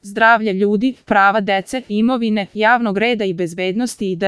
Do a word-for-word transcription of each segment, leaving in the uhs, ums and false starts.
zdravlje ljudi, prava dece, imovine, javnog reda i bezbednosti itd.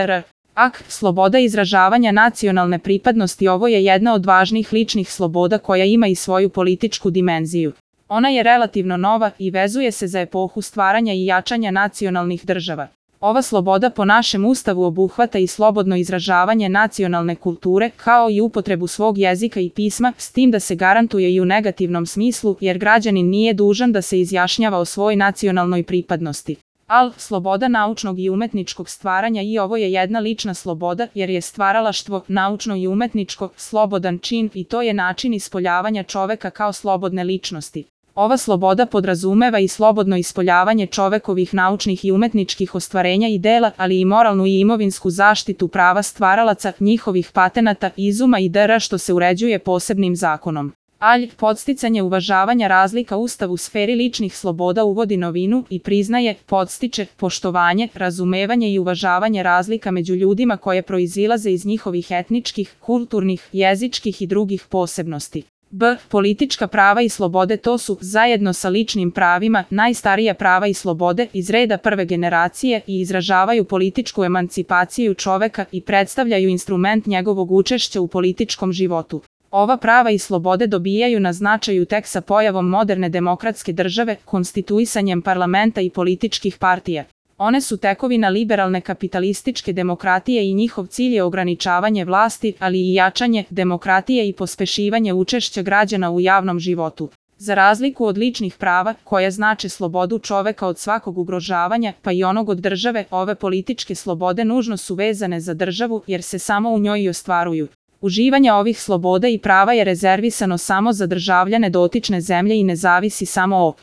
Ak, sloboda izražavanja nacionalne pripadnosti ovo je jedna od važnih ličnih sloboda koja ima i svoju političku dimenziju. Ona je relativno nova i vezuje se za epohu stvaranja i jačanja nacionalnih država. Ova sloboda po našem ustavu obuhvata i slobodno izražavanje nacionalne kulture, kao i upotrebu svog jezika i pisma, s tim da se garantuje i u negativnom smislu, jer građanin nije dužan da se izjašnjava o svojoj nacionalnoj pripadnosti. Al, sloboda naučnog i umetničkog stvaranja i ovo je jedna lična sloboda, jer je stvaralaštvo, naučno i umetničko, slobodan čin i to je način ispoljavanja čoveka kao slobodne ličnosti. Ova sloboda podrazumeva i slobodno ispoljavanje čovekovih naučnih i umetničkih ostvarenja i dela, ali i moralnu i imovinsku zaštitu prava stvaralaca, njihovih patenata, izuma i dr. što se uređuje posebnim zakonom. Alj, podsticanje uvažavanja razlika Ustav u sferi ličnih sloboda uvodi novinu i priznaje, podstiče, poštovanje, razumevanje i uvažavanje razlika među ljudima koje proizilaze iz njihovih etničkih, kulturnih, jezičkih i drugih posebnosti. B. Politička prava i slobode to su, zajedno sa ličnim pravima, najstarija prava i slobode iz reda prve generacije i izražavaju političku emancipaciju čoveka i predstavljaju instrument njegovog učešća u političkom životu. Ova prava i slobode dobijaju na značaju tek sa pojavom moderne demokratske države, konstituisanjem parlamenta i političkih partija. One su tekovina liberalne kapitalističke demokratije i njihov cilj je ograničavanje vlasti, ali i jačanje demokratije i pospešivanje učešća građana u javnom životu. Za razliku od ličnih prava, koja znače slobodu čoveka od svakog ugrožavanja, pa i onog od države, ove političke slobode nužno su vezane za državu, jer se samo u njoj i ostvaruju. Uživanje ovih sloboda i prava je rezervisano samo za državljane dotične zemlje i ne zavisi samo o